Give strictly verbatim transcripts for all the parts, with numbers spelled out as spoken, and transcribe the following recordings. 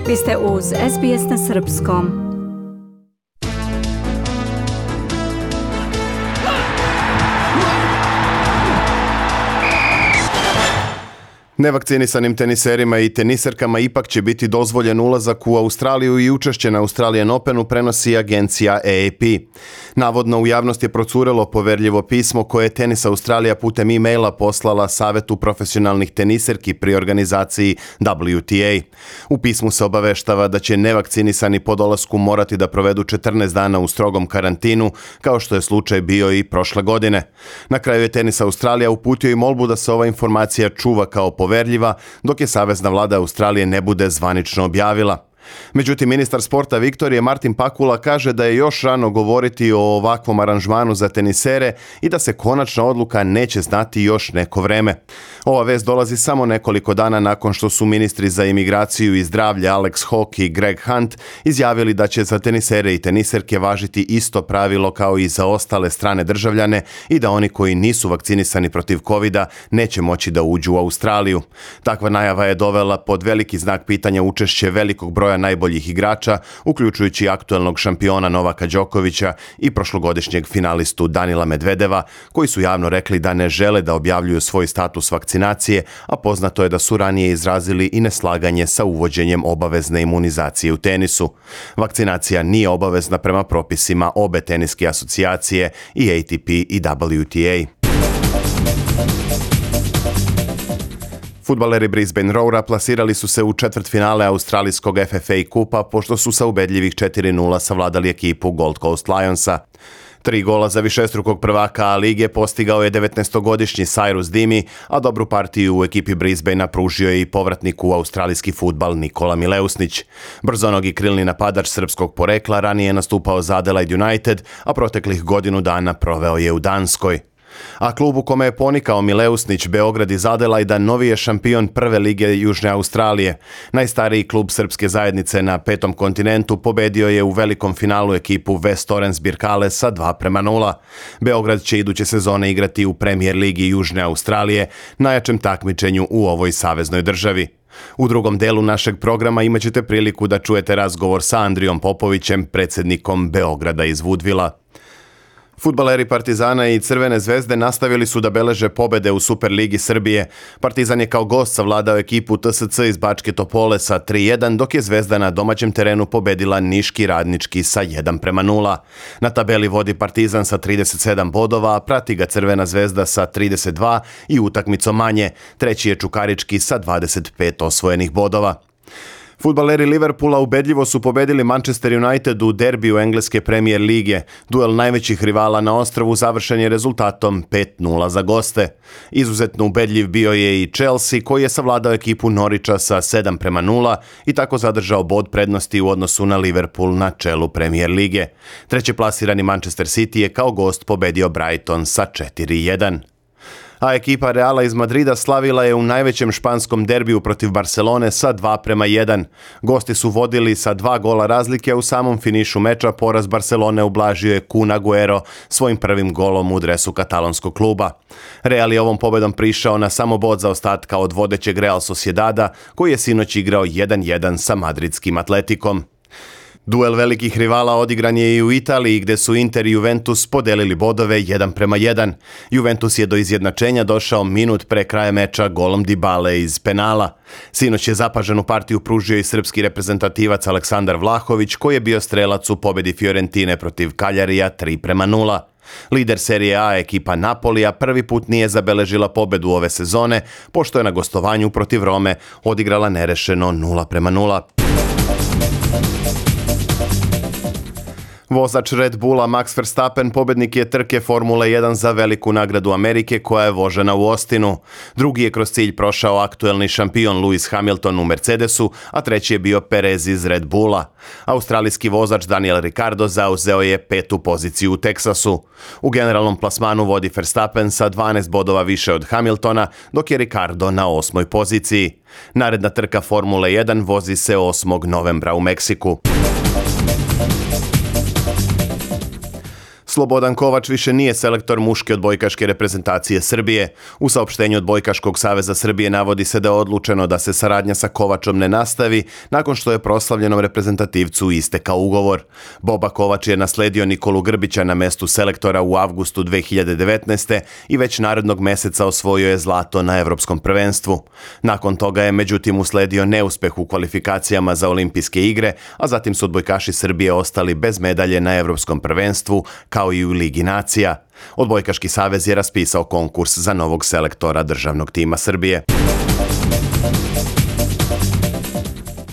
Vi ste uz S B S na srpskom. Nevakcinisanim teniserima i teniserkama ipak će biti dozvoljen ulazak u Australiju i učešće na Australian Openu, prenosi agencija A A P. Navodno u javnost je procurelo poverljivo pismo koje je Tenis Australija putem e-maila poslala Savetu profesionalnih teniserki pri organizaciji W T A. U pismu se obaveštava da će nevakcinisani po dolasku morati da provedu četrnaest dana u strogom karantinu, kao što je slučaj bio i prošle godine. Na kraju je Tenis Australija uputio i molbu da se ova informacija čuva kao poverljiva, dok je Savezna vlada Australije ne bude zvanično objavila. Međutim, ministar sporta Viktorije Martin Pakula kaže da je još rano govoriti o ovakvom aranžmanu za tenisere i da se konačna odluka neće znati još neko vreme. Ova vest dolazi samo nekoliko dana nakon što su ministri za imigraciju i zdravlje Alex Hawke i Greg Hunt izjavili da će za tenisere i teniserke važiti isto pravilo kao i za ostale strane državljane i da oni koji nisu vakcinisani protiv kovida neće moći da uđu u Australiju. Takva najava je dovela pod veliki znak pitanja učešće velikog broja najboljih igrača, uključujući aktuelnog šampiona Novaka Đokovića i prošlogodišnjeg finalistu Danila Medvedeva, koji su javno rekli da ne žele da objavljuju svoj status vakcinacije, a poznato je da su ranije izrazili i neslaganje sa uvođenjem obavezne imunizacije u tenisu. Vakcinacija nije obavezna prema propisima obe teniske asocijacije, i A T P i W T A. Fudbaleri Brisbane Roara plasirali su se u četvrtfinale australijskog F F A kupa pošto su sa ubedljivih četiri nula savladali ekipu Gold Coast Lionsa. Tri gola za višestrukog prvaka A lige postigao je devetnaestogodišnji Cyrus Dimi, a dobru partiju u ekipi Brisbanea pružio je i povratnik u australijski fudbal Nikola Mileusnić. Brzonogi krilni napadač srpskog porekla ranije je nastupao za Adelaide United, a proteklih godinu dana proveo je u Danskoj. A klub u kome je ponikao Mileusnić, Beograd iz Adelaida, novi je šampion prve lige Južne Australije. Najstariji klub srpske zajednice na petom kontinentu pobedio je u velikom finalu ekipu West Torrens Birkale sa dva prema nula. Beograd će iduće sezone igrati u Premier ligi Južne Australije, najjačem takmičenju u ovoj saveznoj državi. U drugom delu našeg programa imat ćete priliku da čujete razgovor sa Andrijom Popovićem, predsjednikom Beograda iz Woodvilla. Fudbaleri Partizana i Crvene zvezde nastavili su da beleže pobede u Superligi Srbije. Partizan je kao gost savladao ekipu T S C iz Bačke Topole sa tri jedan, dok je Zvezda na domaćem terenu pobedila Niški Radnički sa jedan prema nula. Na tabeli vodi Partizan sa trideset sedam bodova, a prati ga Crvena zvezda sa trideset dva i utakmicom manje. Treći je Čukarički sa dvadeset pet osvojenih bodova. Fudbaleri Liverpoola ubedljivo su pobedili Manchester United u derbiju engleske Premier lige. Duel najvećih rivala na ostrvu završen je rezultatom pet nula za goste. Izuzetno ubedljiv bio je i Chelsea, koji je savladao ekipu Norwicha sa sedam prema nula i tako zadržao bod prednosti u odnosu na Liverpool na čelu Premier lige. Treće plasirani Manchester City je kao gost pobedio Brighton sa četiri jedan. A ekipa Reala iz Madrida slavila je u najvećem španskom derbiju protiv Barcelone sa dva prema jedan. Gosti su vodili sa dva gola razlike, a u samom finišu meča poraz Barcelone ublažio je Kun Agüero svojim prvim golom u dresu katalonskog kluba. Real je ovom pobedom prišao na samo bod zaostatka od vodećeg Real Sociedada, koji je sinoć igrao jedan jedan sa madridskim Atletikom. Duel velikih rivala odigran je i u Italiji, gde su Inter i Juventus podelili bodove jedan prema jedan. Juventus je do izjednačenja došao minut pre kraja meča golom Dybale iz penala. Sinoć je zapaženu partiju pružio i srpski reprezentativac Aleksandar Vlahović, koji je bio strelac u pobedi Fiorentine protiv Kaljarija tri prema nula. Lider Serije A ekipa Napolija prvi put nije zabeležila pobedu ove sezone, pošto je na gostovanju protiv Rome odigrala nerešeno nula prema nula. Vozač Red Bulla Max Verstappen pobednik je trke Formule jedan za veliku nagradu Amerike koja je vožena u Austinu. Drugi je kroz cilj prošao aktuelni šampion Lewis Hamilton u Mercedesu, a treći je bio Perez iz Red Bulla. Australijski vozač Daniel Ricciardo zauzeo je petu poziciju u Teksasu. U generalnom plasmanu vodi Verstappen sa dvanaest bodova više od Hamiltona, dok je Ricciardo na osmoj poziciji. Naredna trka Formule jedan vozi se osmog novembra u Meksiku. Slobodan Kovač više nije selektor muške odbojkaške reprezentacije Srbije. U saopštenju Odbojkaškog saveza Srbije navodi se da je odlučeno da se saradnja sa Kovačom ne nastavi nakon što je proslavljenom reprezentativcu istekao ugovor. Boba Kovač je nasledio Nikolu Grbića na mestu selektora u avgustu dve hiljade devetnaeste. i već narednog meseca osvojio je zlato na Evropskom prvenstvu. Nakon toga je međutim usledio neuspeh u kvalifikacijama za olimpijske igre, a zatim su odbojkaši Srbije ostali bez medalje na Evropskom prvenstvu, kao i u Ligi nacija. Odbojkaški savez je raspisao konkurs za novog selektora državnog tima Srbije.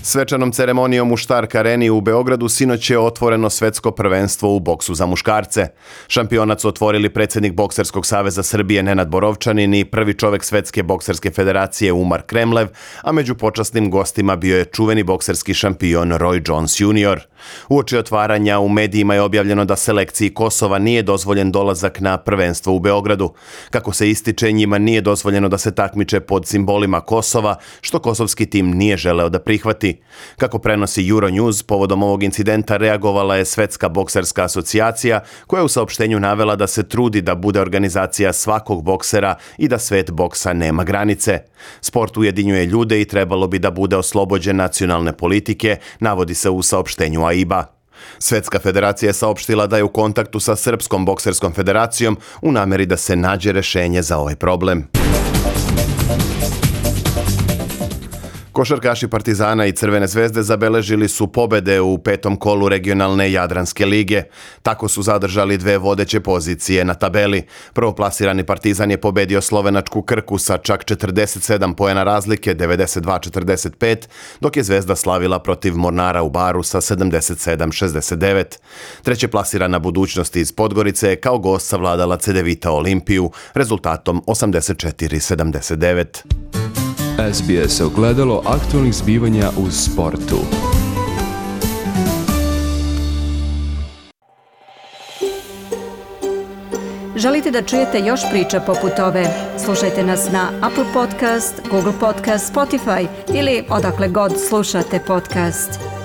Svečanom ceremonijom u Štark areni u Beogradu sinoć je otvoreno svetsko prvenstvo u boksu za muškarce. Šampionat su otvorili predsjednik Bokserskog saveza Srbije Nenad Borovčanin i prvi čovek Svetske bokserske federacije Umar Kremlev, a među počasnim gostima bio je čuveni bokserski šampion Roy Jones junior Uoči otvaranja u medijima je objavljeno da selekciji Kosova nije dozvoljen dolazak na prvenstvo u Beogradu. Kako se ističe, njima nije dozvoljeno da se takmiče pod simbolima Kosova, što kosovski tim nije želeo da prihvati. Kako prenosi Euronews, povodom ovog incidenta reagovala je Svetska bokserska asocijacija, koja je u saopštenju navela da se trudi da bude organizacija svakog boksera i da svet boksa nema granice. Sport ujedinjuje ljude i trebalo bi da bude oslobođen nacionalne politike, navodi se u saopštenju A I B A. Svetska federacija je saopštila da je u kontaktu sa Srpskom bokserskom federacijom u nameri da se nađe rešenje za ovaj problem. Košarkaši Partizana i Crvene zvezde zabeležili su pobede u petom kolu regionalne Jadranske lige. Tako su zadržali dve vodeće pozicije na tabeli. Prvoplasirani Partizan je pobedio slovenačku Krku sa čak četrdeset sedam poena razlike, devedeset dva četrdeset pet, dok je Zvezda slavila protiv Mornara u Baru sa sedamdeset sedam šezdeset devet. Treće plasirana Budućnost iz Podgorice je kao gost savladala Cedevita Olimpiju rezultatom osamdeset četiri sedamdeset devet. S B S ogledalo aktualnih zbivanja u sportu. Želite da čujete još priča poput ove? Slušajte nas na Apple Podcast, Google Podcast, Spotify ili odakle god slušate podcast.